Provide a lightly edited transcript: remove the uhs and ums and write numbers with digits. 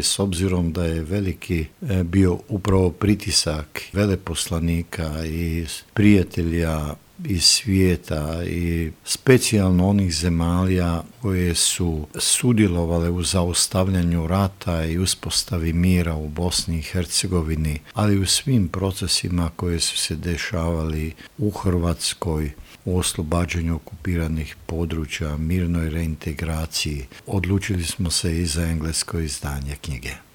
S obzirom da je veliki bio upravo pritisak veleposlanika i prijatelja iz svijeta i specijalno onih zemalja koje su sudjelovale u zaustavljanju rata i uspostavi mira u Bosni i Hercegovini, ali u svim procesima koje su se dešavali u Hrvatskoj, u oslobađanju okupiranih područja, mirnoj reintegraciji, odlučili smo se i za englesko izdanje knjige.